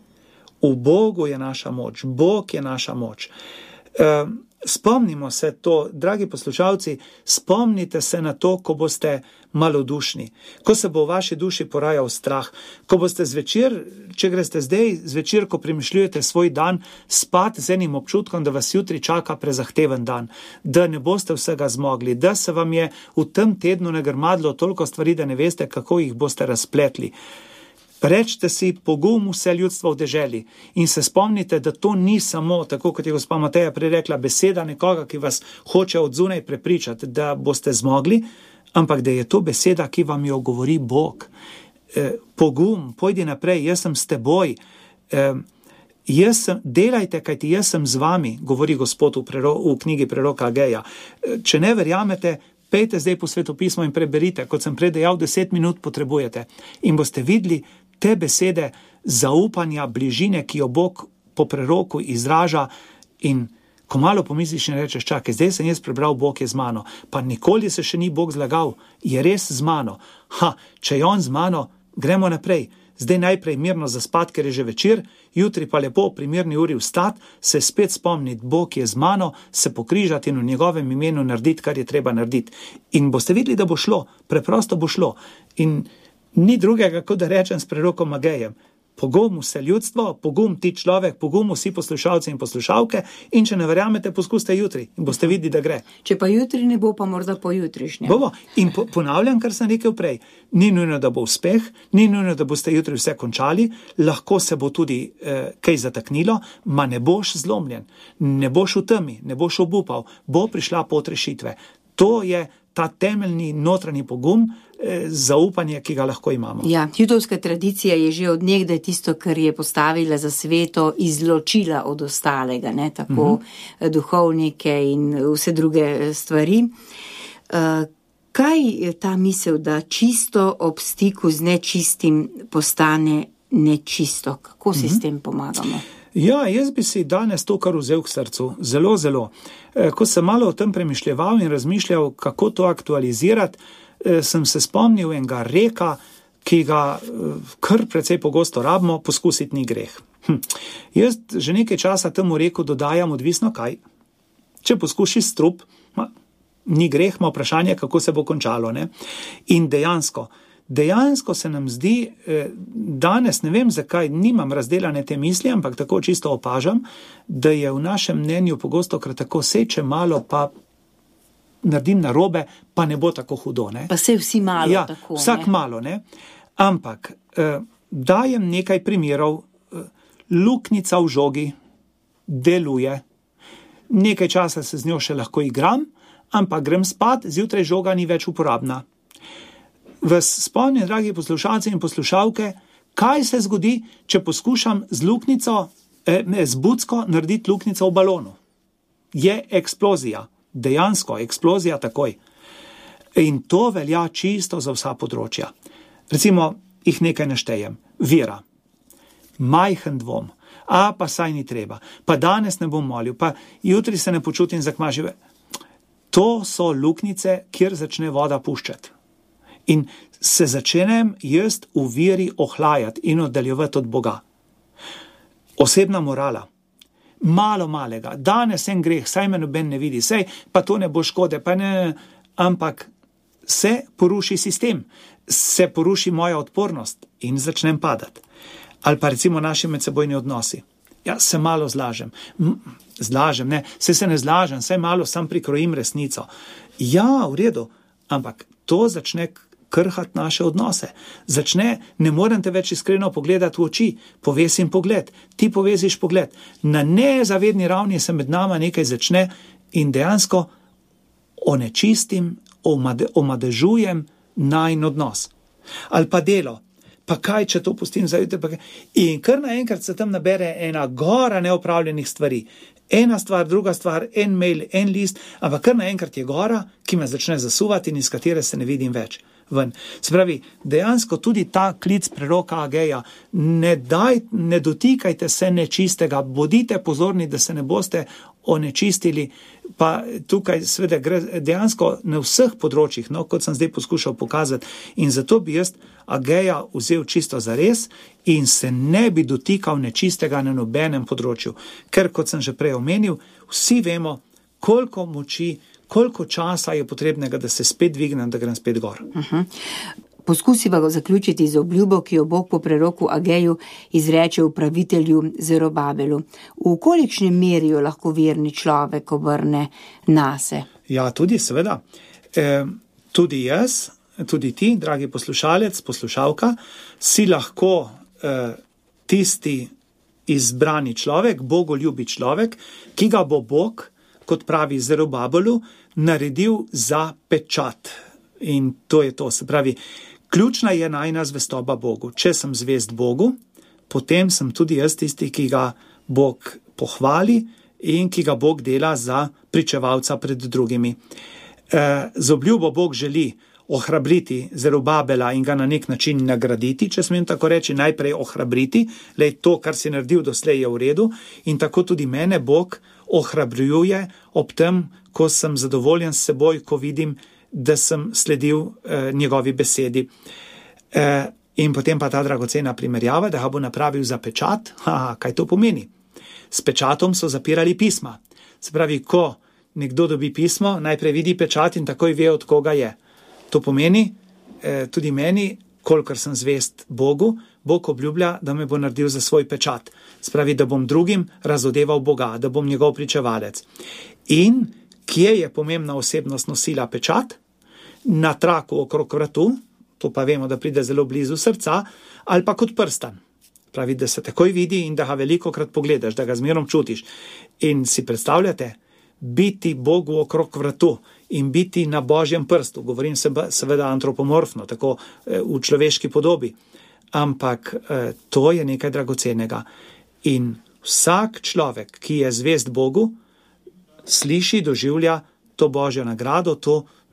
V Bogu je naša moč, Bog je naša moč. spomnimo se to, dragi poslušalci, spomnite se na to, ko boste malodušni, ko se bo v vaši duši porajal strah, ko boste zvečer, če greste zdaj zvečer, ko premišljujete svoj dan, spat z enim občutkom, da vas jutri čaka prezahteven dan, da ne boste vsega zmogli, da se vam je v tem tednu nagrmadlo toliko stvari, da ne veste, kako jih boste razpletli. Rečte si pogum vse ljudstvo v deželi in se spomnite, da to ni samo, tako kot je gospa Mateja prej rekla, beseda nekoga, ki vas hoče od zunaj prepričati, da boste zmogli, ampak da je to beseda, ki vam jo govori Bog. Pogum, pojdi naprej, jaz sem s teboj, delajte, kajti jaz sem z vami, govori Gospod v knjigi preroka Ageja. Če ne verjamete, pejte zdaj po svetopismo in preberite, kot sem prej dejal, 10 minut potrebujete in boste videli te besede zaupanja, bližine, ki jo Bog po preroku izraža, in ko malo pomisliš in rečeš, čakaj, zdaj sem jaz prebral, Bog je z mano, pa nikoli se še ni Bog zlagal, je res z mano. Če je on z mano, gremo naprej. Zdaj najprej mirno zaspat, ker je že večer, jutri pa lepo pri mirni uri vstat, se spet spomniti, Bog je z mano, se pokrižati in v njegovem imenu narediti, kar je treba narediti. In boste videli, da bo šlo, preprosto bo šlo. In ni drugega, kot da rečem s prerokom Agejem. Pogum vse ljudstvo, pogum ti človek, pogum vsi poslušalci in poslušalke, in če ne verjamete, poskuste jutri in boste videli, da gre. Če pa jutri ne bo, pa morda pojutrišnjem. Bo. In ponavljam, kar sem rekel prej, ni nujno, da bo uspeh, ni nujno, da boste jutri vse končali, lahko se bo tudi kaj zataknilo, ma ne boš zlomljen, ne boš v temi, ne boš obupal, bo prišla pot rešitve. To je ta temeljni notranji pogum, zaupanje, ki ga lahko imamo. Ja, judovska tradicija je že od nekdaj tisto, kar je postavila za sveto, izločila od ostalega, ne, tako duhovnike in vse druge stvari. Kaj je ta misel, da čisto ob stiku z nečistim postane nečisto? Kako si s tem pomagamo? Ja, jaz bi si danes to kar vzel k srcu, zelo, zelo. Ko sem malo o tem premišljeval in razmišljal, kako to aktualizirati, sem se spomnil enega reka, ki ga kar precej pogosto rabimo, poskusiti ni greh. Jaz že nekaj časa temu reku dodajam odvisno kaj. Če poskušiš strup, ni greh, ima vprašanje, kako se bo končalo, ne? In dejansko se nam zdi, danes ne vem zakaj, nimam razdelane te misli, ampak tako čisto opažam, da je v našem mnenju pogosto krat tako seče malo, pa naredim narobe, pa ne bo tako hudo, ne? Pa se vsi malo ja, tako, vsak ne? Malo, ne? Ampak dajem nekaj primerov, luknjica v žogi deluje, nekaj časa se z njo še lahko igram, ampak grem spat, zjutraj žoga ni več uporabna. Vas spomnim, dragi poslušalci in poslušalke, kaj se zgodi, če poskušam z bucko narediti luknjico v balonu. Je eksplozija, dejansko eksplozija takoj. In to velja čisto za vsa področja. Recimo, jih nekaj naštejem. Vera, majhen dvom, pa saj ni treba, pa danes ne bom molil, pa jutri se ne počutim zakmažive. To so luknjice, kjer začne voda puščati. In se začnem jaz v veri ohlajati in oddaljevati od Boga. Osebna morala. Malo malega. Danes en greh, saj me noben ne vidi, saj pa to ne bo škode, pa ne, ampak se poruši sistem, se poruši moja odpornost in začnem padati. Ali pa recimo naši medsebojni odnosi. Ja, se malo zlažem, ne, se ne zlažem, saj malo sam prikrojim resnico. Ja, v redu, ampak to začne krhati naše odnose. Začne, ne morem te več iskreno pogledati v oči, povesim pogled, ti poveziš pogled. Na nezavedni ravni se med nama nekaj začne in dejansko onečistim, omadežujem najin odnos. Ali pa delo. Pa kaj, če to pustim za jutri? In kar naenkrat se tam nabere ena gora neopravljenih stvari. Ena stvar, druga stvar, en mail, en list, ampak kar naenkrat je gora, ki me začne zasuvati in iz katere se ne vidim več. Ven. Se pravi, dejansko tudi ta klic preroka Ageja, ne dotikajte se nečistega, bodite pozorni, da se ne boste onečistili, pa tukaj seveda gre dejansko na vseh področjih, no, kot sem zdaj poskušal pokazati, in zato bi jaz Ageja vzel čisto zares in se ne bi dotikal nečistega na nobenem področju, ker kot sem že prej omenil, vsi vemo, koliko moči, koliko časa je potrebnega, da se spet dvignem, da grem spet gor. Poskusiva ga zaključiti z obljubo, ki jo Bog po preroku Ageju izreče upravitelju Zerobabelu. V kolikšni meri jo lahko verni človek obrne nase? Ja, tudi seveda. Tudi jaz, tudi ti, dragi poslušalec, poslušalka, si lahko tisti izbrani človek, bogoljubi človek, ki ga bo Bog, kot pravi Zerobabelu, naredil za pečat. In to je to, se pravi, ključna je najina zvestoba Bogu. Če sem zvest Bogu, potem sem tudi jaz tisti, ki ga Bog pohvali in ki ga Bog dela za pričevalca pred drugimi. Z obljubo Bog želi ohrabriti Zerobabela in ga na nek način nagraditi, če smem tako reči, najprej ohrabriti, lej to, kar si naredil doslej je v redu, in tako tudi mene Bog ohrabrjuje ob tem, ko sem zadovoljen s seboj, ko vidim, da sem sledil njegovi besedi. In potem pa ta dragocena primerjava, da ga bo napravil za pečat. Kaj to pomeni? S pečatom so zapirali pisma. Se pravi, ko nekdo dobi pismo, najprej vidi pečat in takoj ve, od koga je. To pomeni, tudi meni, kolikor sem zvest Bogu, Bog obljublja, da me bo naredil za svoj pečat. Se pravi, da bom drugim razodeval Boga, da bom njegov pričevalec. In kje je pomembna osebnost nosila pečat? Na traku okrog vratu, to pa vemo, da pride zelo blizu srca, ali pa kot prstan. Pravi, da se takoj vidi in da ga velikokrat pogledaš, da ga zmerom čutiš. In si predstavljate, biti Bogu okrog vratu in biti na Božjem prstu, govorim seveda antropomorfno, tako v človeški podobi, ampak to je nekaj dragocenega. In vsak človek, ki je zvest Bogu, sliši, doživlja to Božjo nagrado,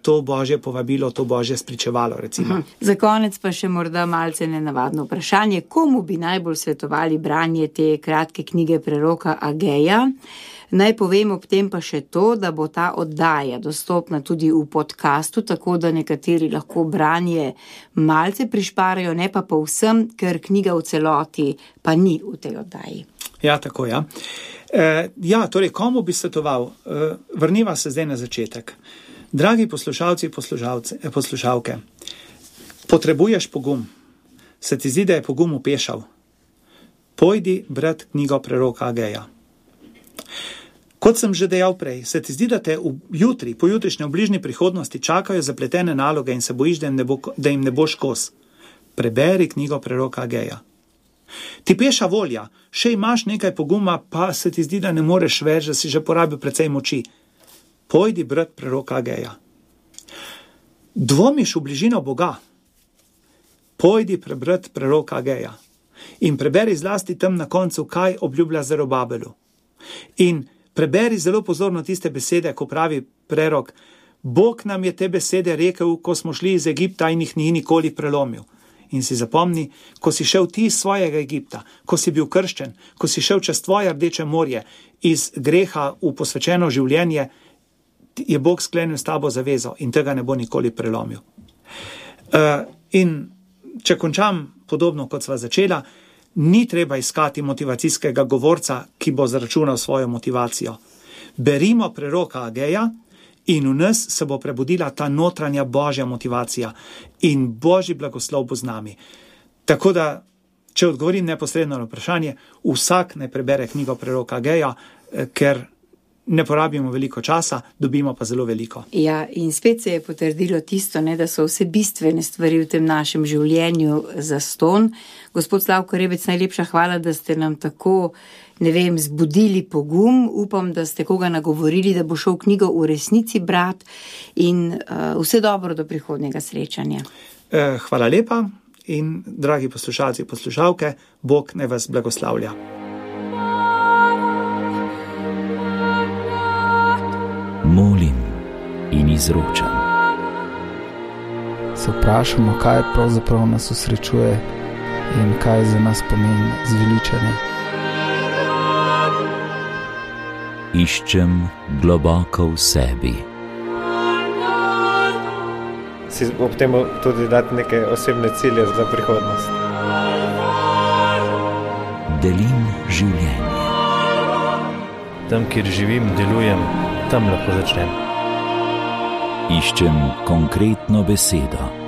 to Božje povabilo, to Božje spričevalo, recimo. Za konec pa še morda malce nenavadno vprašanje, komu bi najbolj svetovali branje te kratke knjige preroka Ageja? Naj povem ob tem pa še to, da bo ta oddaja dostopna tudi v podcastu, tako da nekateri lahko branje malce prišparajo, ne pa povsem, ker knjiga v celoti pa ni v tej oddaji. Ja, tako, ja. Torej, komu bi svetoval? Vrniva se zdaj na začetek. Dragi poslušalci, poslušalke, potrebuješ pogum. Se ti zdi, da je pogum upešal? Pojdi brat knjigo preroka Ageja. Kot sem že dejal prej, se ti zdi, da te jutri, pojutrišnje v bližnji prihodnosti čakajo zapletene naloge in se bojiš, da jim ne boš kos. Preberi knjigo preroka Ageja. Ti peša volja, še imaš nekaj poguma, pa se ti zdi, da ne moreš več, da si že porabil precej moči. Pojdi brat preroka Ageja. Dvomiš v bližino Boga? Pojdi prebrat preroka Ageja. In preberi zlasti tam na koncu, kaj obljublja Zerobabelu. In preberi zelo pozorno tiste besede, ko pravi prerok, Bog nam je te besede rekel, ko smo šli iz Egipta in jih ni nikoli prelomil. In si zapomni, ko si šel ti iz svojega Egipta, ko si bil krščen, ko si šel čez tvoje Rdeče morje, iz greha v posvečeno življenje, je Bog sklenil s tabo zavezo in tega ne bo nikoli prelomil. In če končam podobno, kot sva začela, ni treba iskati motivacijskega govorca, ki bo zaračunal svojo motivacijo. Berimo preroka Ageja in v nas se bo prebudila ta notranja Božja motivacija in Božji blagoslov bo z nami. Tako da, če odgovorim neposredno na vprašanje, vsak naj prebere knjigo preroka Ageja, ker ne porabimo veliko časa, dobimo pa zelo veliko. Ja, in spet se je potrdilo tisto, da so vse bistvene stvari v tem našem življenju zastonj. Gospod Slavko Rebec, najlepša hvala, da ste nam tako, zbudili pogum. Upam, da ste koga nagovorili, da bo šel knjigo v resnici brat in vse dobro do prihodnjega srečanja. Hvala lepa in dragi poslušalci, poslušalke, Bog naj vas blagoslavlja. Molim in izročam. Se vprašamo, kaj pravzaprav nas osrečuje in kaj za nas pomeni zveličanje. Iščem globoko v sebi. Si ob tem tudi dati neke osebne cilje za prihodnost. Delim življenje. Tam, kjer živim, delujem, tam lahko začnem. Iščem konkretno besedo.